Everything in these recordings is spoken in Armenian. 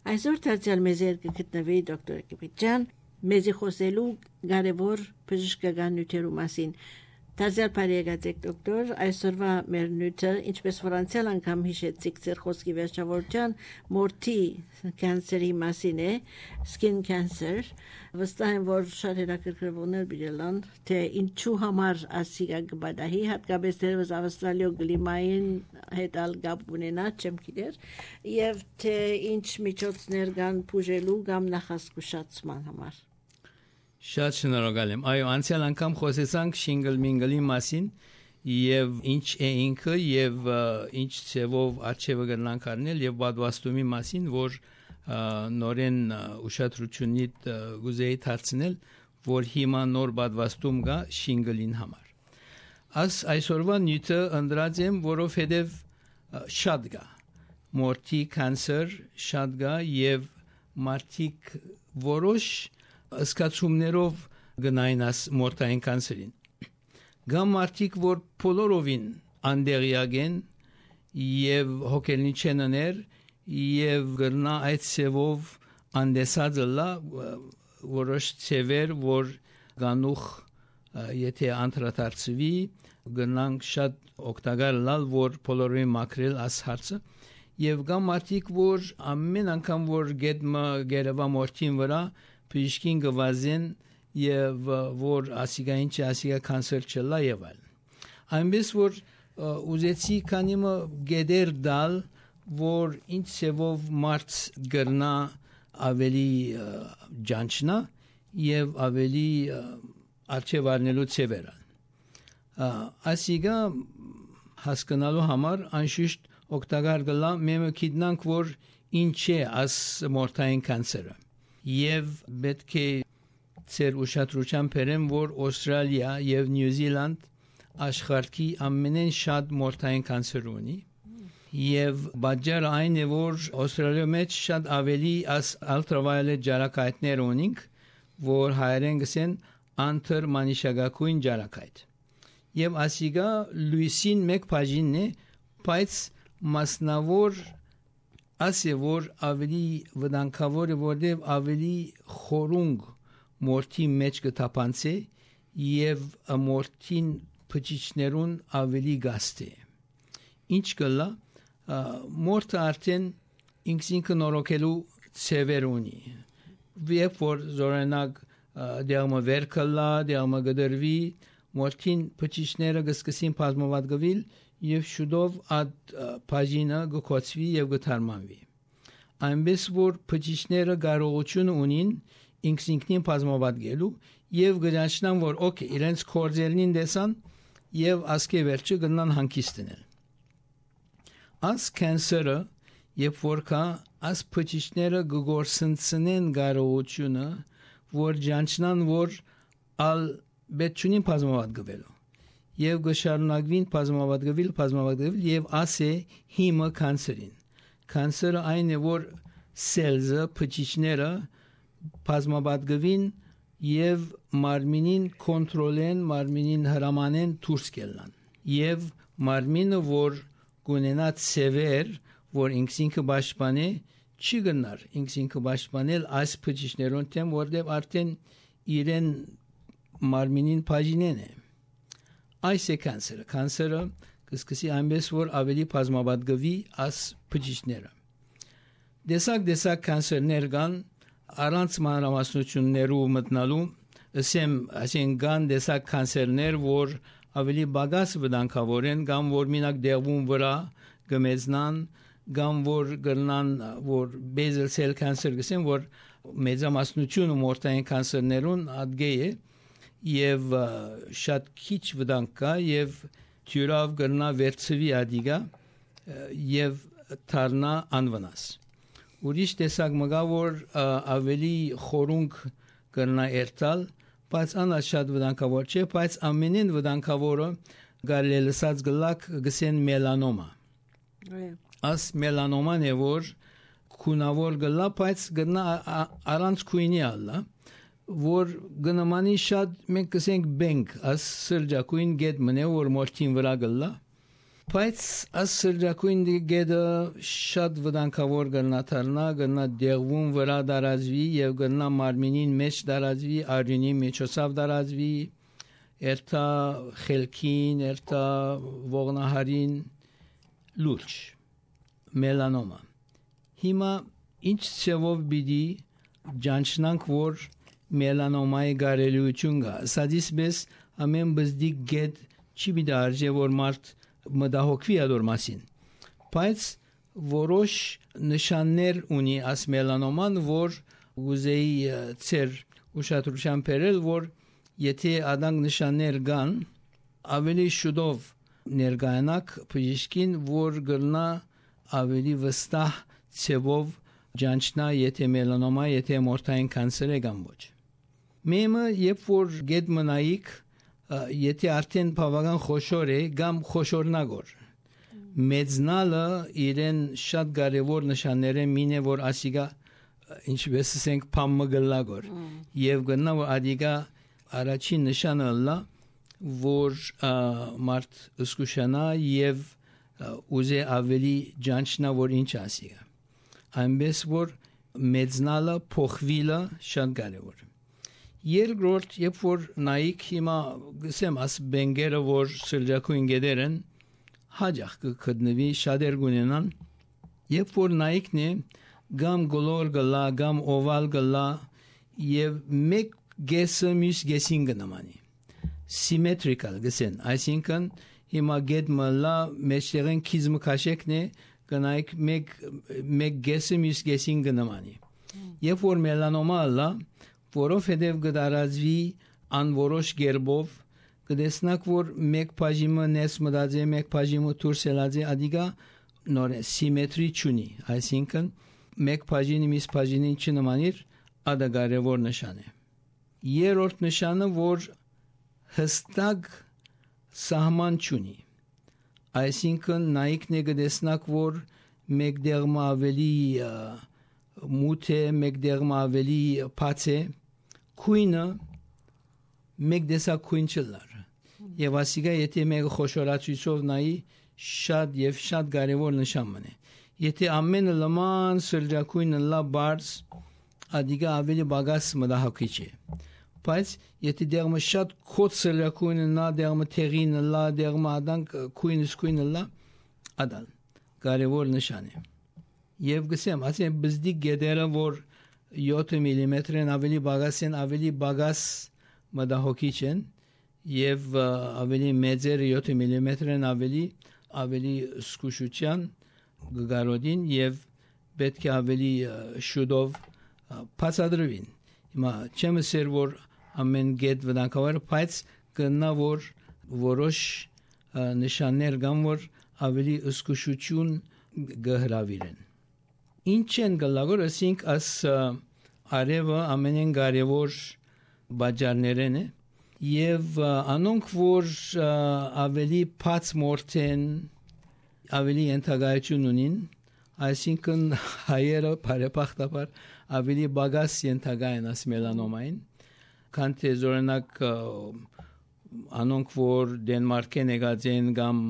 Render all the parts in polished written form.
Այսօր դարձյալ մեզ գտնվի դոկտոր Կիպիջան, մեզի խոսելու կարևոր բժշկական նյութերու մասին։ Դարձյալ բարեկացեք դոկտոր, այսօրվա մեր նյութը, ինչպես որ անցյալ անգամ հիշեցիք ձեր խոսքի վերջավորության, մորթի կանցերի մասին է, skin cancer, վստահ եմ, որ շատ հետաքրքրվողներ բիլան, թե ինչու համար ասիգա գբադահի, հատկապես դերևս ավստրալիո գլիմային հետ ալ գապ ունենա, չեմ գիտեր, եւ թե ինչ միջոցներ կան բուժելու կամ նախազգուշացման համար։ Շատ շնորհակալ եմ։ Այո, անցյալ անգամ խոսեցանք շինգլ մինգլի մասին եւ ինչ է ինքը եւ ինչ ծավով արժեվը գնանք առնել եւ պատվաստումի մասին, որ նորեն ուշադրությունից գուզեի դարձնել, որ հիմա նոր պատվաստում կա շինգլին համար։ Այսօրվա նյութը ընդրած եմ, որովհետեւ շատ կա։ Մորթի կանցեր շատ կա եւ մարդիկ որոշ ասկացումներով գնային աս մորթային կանցերին։ Գամ մարդիկ, որ բոլորովին անդերյակ են եւ հոգելնի չեն աներ եւ գրնա այդ ծևով անդեսած լա որոշ ծևեր, որ գանուխ եթե անդրադարձվի գնանք շատ օգտակար լալ, որ բոլորովին մաքրել աս հարցը եւ գամ մարդիկ, որ ամեն անգամ որ գետմը գերվա մորթին վրա Պիշկին գվազեն եւ որ ասիգային չի ասիգա կանցեր չլա եւ այլ։ Այնպես որ ուզեցի կանիմը գեդեր դալ, որ ինչ ծավով մարդ գրնա ավելի ջանչնա եւ ավելի արժեվ առնելու ծավերը։ Ասիգա հասկանալու համար անշուշտ օգտակար գլա մենք գիտնանք, որ ինչ է աս մորթային կանցերը։ Եվ պետք է ծեր ուշադրության բերեմ, որ Ավստրալիա եւ Նյու Զիլանդ աշխարհի ամենեն շատ մորթային կանցեր ունի եւ բաժարը այն է, որ Ավստրալիա մեջ շատ ավելի as ultraviolet ջարակայթներ ունենք, որ հայերեն գսեն անտերմանիշագակույն ջարակայթ եւ ասիգա լույսին մեկ բաժինն է, բայց մասնավոր ասե որ ավելի վտանգավոր է, որտեղ ավելի խորունգ մորթի մեջ կթափանցե եւ մորթին փճիչներուն ավելի գաստե։ Ինչ կլա մորթը արդեն ինքնին նորոգելու ծևեր ունի։ Երբ որ զորենակ դերմը վեր կլա, դերմը գդրվի, մորթին փճիչները կսկսին բազմավատգվել եւ շուտով այդ բաժինը գկոցվի եւ գթարմանվի։ Այնպես որ փճիչները կարողություն ունին ինքնին բազմավատգելու եւ գրանցնան, որ օքեյ, իրենց կորձերին դեսան եւ ասկե վերջը գնան հանգիստնել։ As կանցերը երբ որ կա as փճիչները գորսնցնեն կարողությունը, որ ջանչնան, որ ալ բեչունին բազմավատգվելու եւ գշարունակվին բազմավատգվել եւ ասե հիմը կանցերին։ Կանցերը այն է, որ սելզը, փճիչները բազմավատգվին եւ մարմինին կոնտրոլեն, մարմինին հրամանեն դուրս գելան։ Եվ մարմինը, որ գունենա ծևեր, որ ինքնին պաշտպանե, չի գնար ինքնին պաշտպանել այս փճիչներուն դեմ, որտեղ արդեն իրեն մարմինին բաժինեն է։ Այս է կանցերը։ Կանցերը կսկսի այնպես, որ ավելի բազմավատգվի աս փճիչները։ Դեսակ կանցերներ կան, առանց մանրամասնություններու մտնալու, ասեն կան դեսակ կանցերներ, որ ավելի բագաս վտանգավոր են, կամ որ մինակ դեղվում վրա գմեզնան, կամ որ գրնան, որ basal cell cancer գսեն, որ մեծամասնությունը մորթային կանցերներուն ադգե է, եւ շատ քիչ վտանգ կա եւ թյուրավ գրնա վերցվի ադիգա եւ թարնա անվնաս։ Ուրիշ տեսակ մգա, որ ավելի խորունգ գրնա երթալ, բայց անա շատ վտանգավոր չէ, բայց ամենին վտանգավորը գալելսած գլակ գսեն մելանոմա։ As մելանոման է, որ քունավոր գլա, բայց գրնա առանց քույնի ալլա, որ գնամանի շատ մենք կսենք բենք, աս սրջակույն գետ մնե, որ մորթին վրա գլա, Բայց այս սրճակույն գեդը շատ վտանգավոր կգնա դառնա, կգնա դեղվում վրա դարազվի եւ կգնա մարմինին մեջ դարազվի, արյունի միջոցով դարազվի, երթա խելքին, երթա ողնահարին լուրջ մելանոմա։ Հիմա ինչ ծավով բիդի ջանչնանք որ մելանոմայի գարելիություն կա։ Սադիսպես ամեն բզդիկ գեդ չի բիդի արժե որ մարդ մտահոգվի ադոր մասին, բայց որոշ նշաններ ունի աս մելանոման, որ ուզեի ծեր ուշադրության բերել, որ եթե ադանք նշաններ կան, ավելի շուտով ներկայանաք բժիշկին, որ կգնա ավելի վստահ ծավով ջանչնա, եթե մելանոմա, եթե մորթային կանցեր է կամ ոչ։ Մեմը երբ որ գետ մնայիք, եթե արդեն բավական խոշոր է, կամ խոշորնագոր։ Մեծնալը իրեն շատ կարևոր նշաններ է մինե, որ ասիգա ինչպես ասենք փամը գլագոր։ Եվ գնա որ ադիգա առաջին նշանը լա, որ մարդ ըսկուշանա եւ ուզե ավելի ջանչնա, որ ինչ ասիգա։ Այնպես որ մեծնալը փոխվիլը շատ կարևոր է։ Երկրորդ, երբ որ նայիկ հիմա գսեմ աս բենգերը, որ սրճակույն գեդերն հաջախ կգտնվի շատեր գունենան, երբ որ նայիկն է գամ գոլոր գլա, գամ օվալ գլա եւ մեկ գեսը մյուս գեսին կնամանի symmetrical գսեն, այսինքն հիմա գեդ մլա մեջտեղեն քիզմը քաշեկն է կնայիկ մեկ գեսը մյուս գեսին կնամանի երբ որ մելանոմա լա որովհետև կդարածվի անորոշ գերբով կդեսնակ որ մեկ բաժիմը նես մտածի մեկ բաժիմը դուրս ելածի ադիգա նոր սիմետրի չունի այսինքն մեկ բաժինը մյուս բաժինին չնմանիր ադա կարևոր նշան է երրորդ նշանը որ հստակ սահման չունի այսինքն նայիկն է կդեսնակ որ մեկ դեղմը ավելի մութ է մեկ դեղմը ավելի բաց է քույնը մեկ դեսակ քույն չլար եւ ասիգա եթե մեկը խոշորացույցով նայի շատ եւ շատ կարեւոր նշան մնե եթե ամենը լման սրճակույնը լա բարձ ադիգա ավելի բագաս մտահոգիչ է բայց եթե դեղմը շատ քոց սրճակույնը նա դեղմը թեղինը լա դեղմը ադանք քույնը լա ադալ կարեւոր նշան է եւ գսեմ ասեմ բզդիկ գեդերը որ 7 մմ-ն ավելի բագաս են ավելի բագաս մտահոգիչ են եւ ավելի մեծերը 7 մմ-ն ավելի զգուշության գարոդին եւ պետք է ավելի շուտով բացադրվին հիմա չեմ ասել որ ամեն գետ վտանգավոր բայց կնա որ որոշ նշաններ կան որ ավելի զգուշություն գհրավիրեն ինչ են գլագոր ասինք աս արևը ամենեն կարևոր բաժաններն է եւ անոնք որ ավելի բաց մորթեն ավելի ենթակայություն ունին այսինքն հայերը բարեբախտաբար ավելի բագաս ենթակայեն աս մելանոմային քան թե զորենակ անոնք որ դենմարկեն եկած են կամ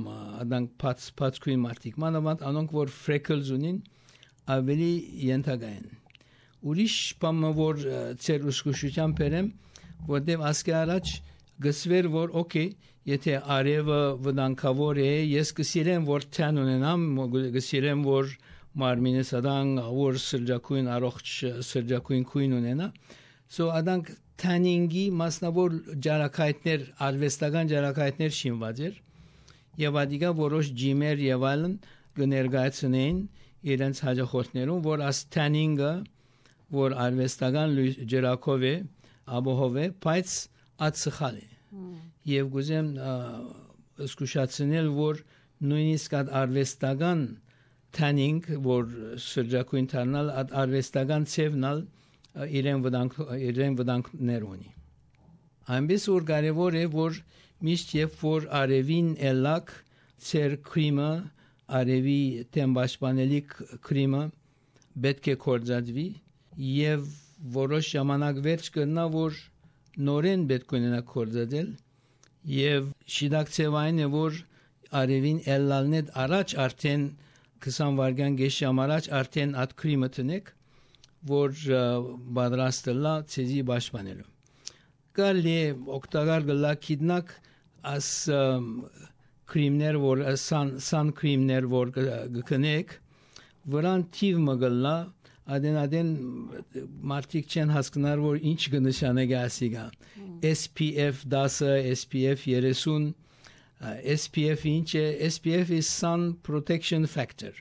adank բաց քույն մարդիկ մանավանդ անոնք որ freckles ունին ավելի ենթակայեն ուրիշ բանը որ ծեր ուշքուշության բերեմ որտեվ ասկի առաջ գսվեր որ օքեյ եթե արևը վտանգավոր է ես կսիրեմ որ թան ունենամ կսիրեմ որ մարմինս ադան որ սրճակույն առողջ սրճակույն քույն ունենա so adank tanningi մասնավոր ջարակայտներ արվեստական ջարակայտներ շինված էր եւ ադիգա որոշ ջիմեր եւ այլն կներկայացնեն իրենց հաջողություններում որ աս tanning-ը որ արվեստական ջրակով է աբոհով է բայց ածխալ է եւ գուզեմ զգուշացնել որ նույնիսկ արվեստական tanning որ սրճակույն դառնալ արվեստական ծևնալ իրեն վտանգներ ունի այնպես որ կարևոր է որ միշտ երբ որ արևին ելակ ծեր քրիմը արևի տեմպաշպանելիք քրիմը պետք է կորզածվի եւ որոշ ժամանակ վերջ կգնա որ նորեն պետք ունենա կորզածել եւ շիդակցեվային է որ արևին ելլալնեդ առաջ արդեն 20 վարգան գեշամ առաջ արդեն այդ քրիմը տնեք, որ պատրաստելա ցեզի պաշտպանելու։ Կարելի է օգտակար գլա քիդնակ as քրիմներ, որ sun քրիմներ, որ գկնեք, վրան թիվ մգլա, adեն մարդիկ չեն հասկնար, որ ինչ կնշանակի ասիգա։ SPF 10, SPF 30, SPF ինչ է, SPF is Sun Protection Factor,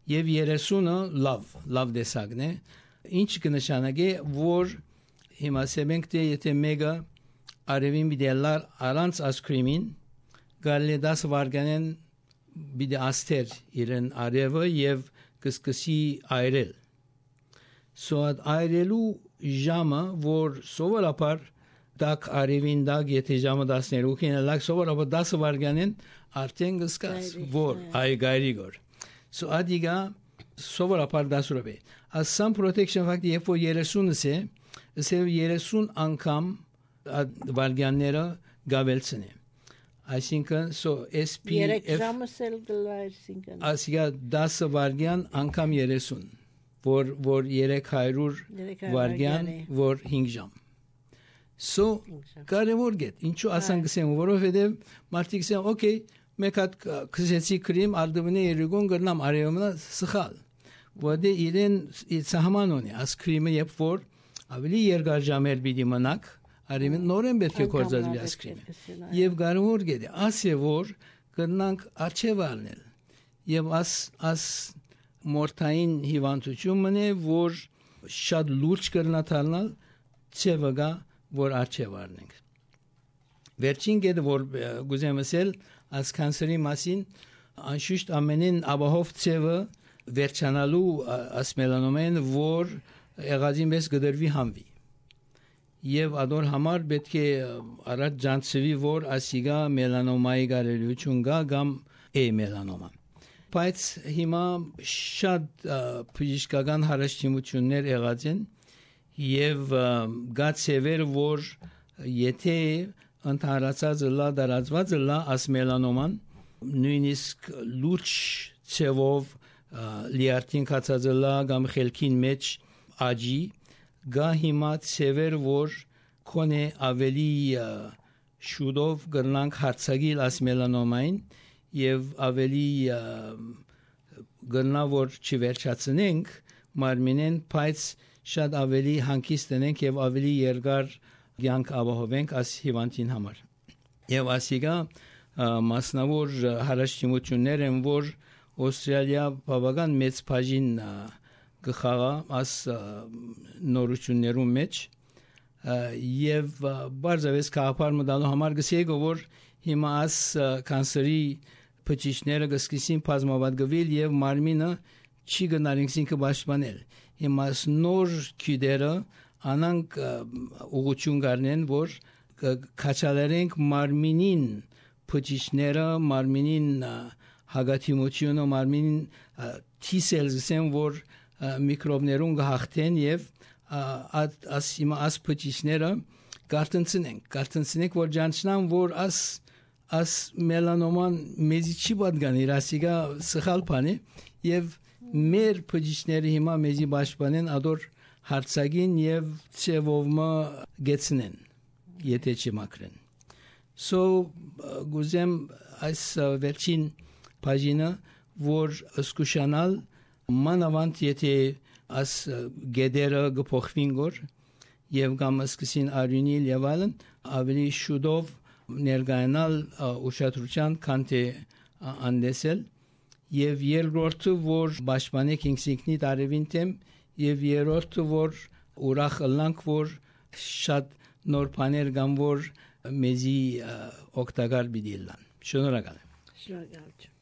և 30-ը լավ դեսագն է, ինչ կնշանակի, որ հիմա սեբենք թե եթե մեկը արևին բիդելար առանց ասկրիմին, գալի 10 վարգանեն բիդե աստեր իրեն արևը և կսկսի այրել։ Սոդ այրելու ժամը, որ սովորաբար դակ արևին դակ, եթե ժամը 12-ին լակ, սովորաբար 10 վարգանեն արդեն կսկաս, որ այ գայրիգոր։ So ադիգա սովորաբար 10 րոպե։ As Sun Protection Factor, երբ որ 30-ս է, ասել 30 անգամ վարգանները գավելցնի։ Այսինքն, so SPF 3 ժամս էլ գլա, այսինքն ասիգա 10 վարգան անգամ 30, որ 300 վարգան, որ 5 ժամ։ So, կարևոր գետ, ինչու ասան գսեմ, որովհետև մարդիկ ասեն, օքեյ, մեկ հատ քսեցի քրիմ, արդվնե երգոն գրնամ արևմնա սխալ։ Որտե իրեն սահման ունի, աս քրիմը երբ որ ավելի երկար ժամեր պիտի մնաք, արևին նորեն պետք է կործածվի աս քրիմը։ Եվ կարևոր գետ, ասե որ գրնանք արջև առնել։ Եվ աս մորթային հիվանդություն մնե, որ շատ լուրջ կրնա թարնալ, ցևգա որ արջև առնենք։ Վերջին գետը, որ գուզեմ ասել, աս կանսերի մասին, անշուշտ ամենին աբահով ցևը վերջանալու աս մելանոմեն, որ եղածին մեզ գդրվի համվի։ Եվ ադոր համար պետք է առաջ ջանցվի, որ ասիգա մելանոմայի գարելություն գա գամ է մելանոմա։ Բայց հիմա շատ բժշկական հարստություններ եղած են և գա ցևեր, որ եթե ընդհանրացած լա դարածված լա աս մելանոման, նույնիսկ լուրջ ցևով լիարտին կացած լա գամ խելքին մեջ աջի, գա հիմա ցևեր, որ կոնե ավելի շուտով գրնանք հարցագիլ աս մելանոմային և ավելի գրնա, որ չվերջացնենք մարմինեն, բայց շատ ավելի հանգիստ ենք և ավելի երկար կյանք ապահովենք աս հիվանդին համար։ Եվ ասիգա մասնավոր հարստություններ են, որ Ավստրալիա բավական մեծ բաժին կխաղա աս նորություններում մեջ և բարձավես կաղապար մտալու համար գսեգո, որ հիմա աս կանսերի բջիջները կսկսին բազմապատկվել և մարմինը չի գնարինքսին կպաշտպանել։ Հիմա նոր քյդերը անանք ուղղություն կառնեն, որ կաչալերենք մարմինին բջիջները, մարմինին հագաթիմությունը, մարմինին T-cells-ն, որ միկրոբներուն կհաղթեն և աս բջիջները կարտնցնենք, որ ջանչնան, որ աս մելանոման մեզի չի պատգան, իրասիգա սխալ բան է և մեր բջիջները հիմա մեզի պաշտպանեն ադոր հարցագին և ցևովմը գեցնեն, եթե չմաքրեն։ So, գուզեմ այս վերջին բաժինը, որ սկուշանալ մանավանդ եթե աս գեդերը գփոխվին գոր և կամ սկսին արյունիլ և այլն, ավելի շուտով ներգայանալ ուշադրության, քան թե անդեսել և երկրորդը, որ պաշտպանեք ինքնիդ արևին թեմ և երրորդը, որ ուրախ ըլլանք, որ շատ նոր բաներ կան, որ մեզի օգտակար պիտի լան։ Շնորհակալ եմ։ Շնորհակալ եմ։